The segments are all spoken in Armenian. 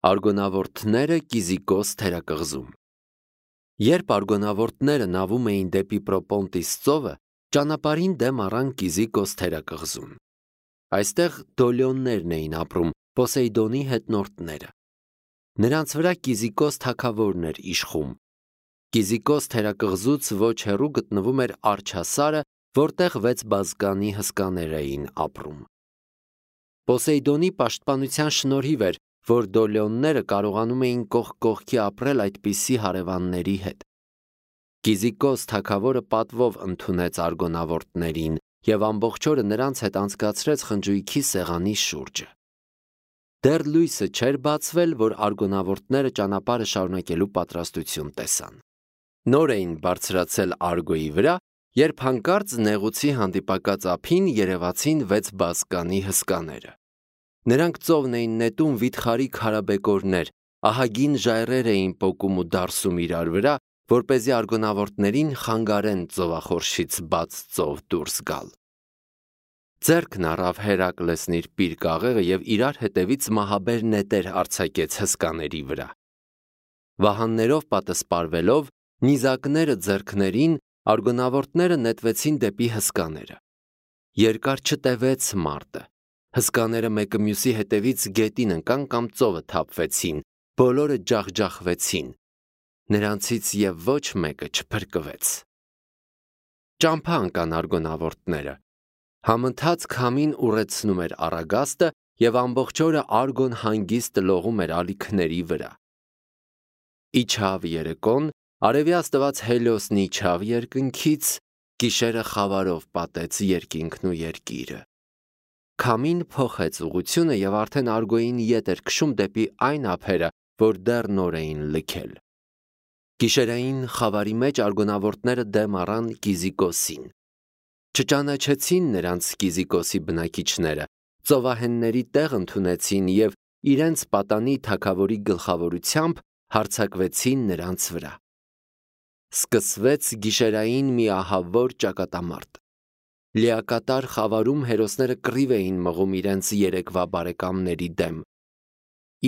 Արգոնավորտները Կիզիկոս թերակղզում։ Երբ արգոնավորտները նավում էին դեպի Պրոպոնտիս ծովը, ճանապարհին դեմ առան Կիզիկոս թերակղզուն։ Այստեղ դոլյոններն էին ապրում, Պոսեյդոնի հետնորդները։ Նրանց վրա Կիզիկոս թագավորն էր իշխում։ Կիզիկոս թերակղզուց ոչ հեռու գտնվում էր Արջասարը, որտեղ 6 բազկանի հսկաներ էին ապրում։ Պոսեյդոնի պաշտպանության շնորհիվ էր, որ դոլյոնները կարողանում էին կողք կողքի ապրել այդպիսի հարևանների հետ։ Կիզիկոս թագավորը պատվով ընդունեց արգոնավորտներին և ամբողջ օրը նրանց հետ անցկացրեց խնջույքի սեղանի շուրջը։ Դեռ լույսը չէր բացվել, որ արգոնավորտները ճանապարհը շարունակելու պատրաստություն տեսան։ Նոր էին բարձրացել Արգոյի վրա, երբ հանկարծ նեղուցի հանդիպակաց ափին երևացին 6 բազկանի հսկաները։ Նրանք ծովն էին նետում վիթխարի քարաբեկորներ, ահագին ժայռեր էին պոկում ու դարսում իրար վրա, որպեսզի արգոնավորտներին խանգարեն ծովախորշից բաց ծով դուրս գալ։ Ձեռքն առավ Հերակլեսն իր պիրկ աղեղը և իրար հետևից մահաբեր նետեր արձակեց հսկաների վրա։ Վահաններով պատսպարվելով, նիզակները ձեռքներին, արգոնավորտները նետվեցին դեպի հսկաները։ Երկար չտևեց մարտը։ Հսկաները մեկը մյուսի հետևից գետին ընկան կամ ծովը թափվեցին, բոլորը ջախջախվեցին։ Նրանցից և ոչ մեկը չփրկվեց։ Ճամփա ընկան արգոնավորտները։ Համընթաց քամին ուռեցնում էր առագաստը և ամբողջ օրը Արգոն հանգիստ լողում էր ալիքների վրա։ Իջավ երեկոն, արևի աստված Հելիոսն իջավ երկնքից, գիշերը խավարով պատեց երկինքն ու երկիրը։ Քամին փոխեց ուղղությունը և արդեն Արգոյին ետ էր քշում դեպի այն ափերը, որ դեռ նոր էին լքել։ Գիշերային խավարի մեջ արգոնավորտները դեմ առան Կիզիկոսին։ Չճանաչեցին նրանց Կիզիկոսի բնակիչները, ծովահենների տեղ ընդունեցին և իրենց պատանի թագավորի գլխավորությամբ հարձակվեցին նրանց վրա։ Սկսվեց գիշերային մի ահավոր ճակատամարտ։ Լիակատար խավարում հերոսները կռիվ էին մղում իրենց երեկվա բարեկամների դեմ։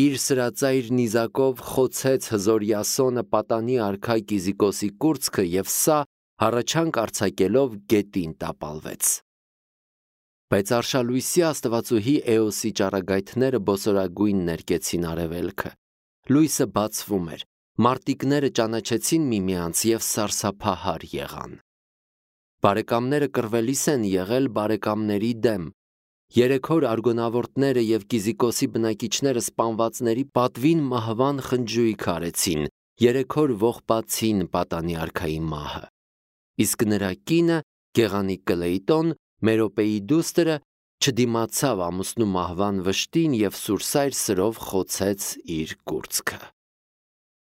Իր սրածայր նիզակով խոցեց հզոր Յասոնը պատանի արքա Կիզիկոսի կուրծքը և սա, հառաչանք արձակելով, գետին տապալվեց։ Բայց արշալույսի աստվածուհի Էոսի ճառագայթները բոսորագույն ներկեցին արևելքը։ Լույսը բացվում էր, մարտիկները ճանաչեցին միմյանց և սարսափահար եղան։ Բարեկամները կռվելիս են եղել բարեկամների դեմ։ 3 օր արգոնավորտները և Կիզիկոսի բնակիչները սպանվածների պատվին մահվան խնջույք արեցին, 3 օր ողբացին պատանի արքայի մահը։ Իսկ նրա կինը, գեղանիկ Կլեյտոն, Մերոպեի դուստրը, չդիմացավ ամուսնու մահվան վշտին և սուրսայր սրով խոցեց իր կուրծքը։